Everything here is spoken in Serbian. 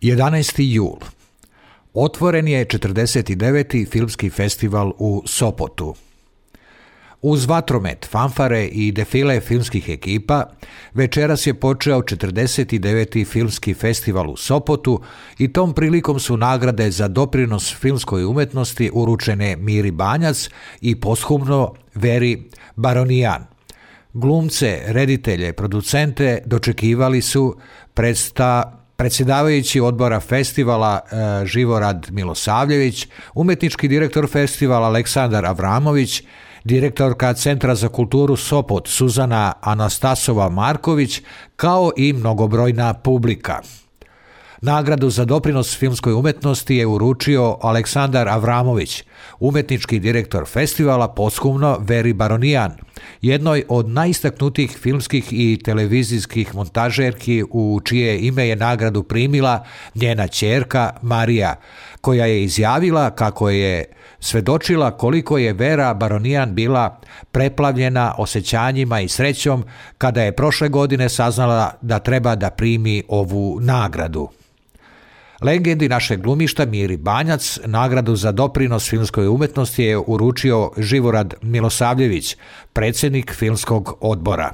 11. jul. Otvoren je 49. filmski festival u Sopotu. Uz vatromet, fanfare i defile filmskih ekipa, večeras je počeo 49. filmski festival u Sopotu i tom prilikom su nagrade za doprinos filmskoj umetnosti uručene Miri Banjac i posthumno Veri Baronijan. Glumce, reditelje, producente dočekivali su predsjedavajući odbora festivala Živorad Milosavljević, umetnički direktor festivala Aleksandar Avramović, direktorka Centra za kulturu Sopot Suzana Anastasova Marković, kao i mnogobrojna publika. Nagradu za doprinos filmskoj umetnosti je uručio Aleksandar Avramović, umetnički direktor festivala, posthumno Veri Baronijan, jednoj od najistaknutijih filmskih i televizijskih montažerki u čije ime je nagradu primila njena ćerka Marija, koja je izjavila kako je svedočila koliko je Vera Baronijan bila preplavljena osjećanjima i srećom kada je prošle godine saznala da treba da primi ovu nagradu. Legendi našeg glumišta Miri Banjac nagradu za doprinos filmskoj umetnosti je uručio Živorad Milosavljević, predsjednik filmskog odbora.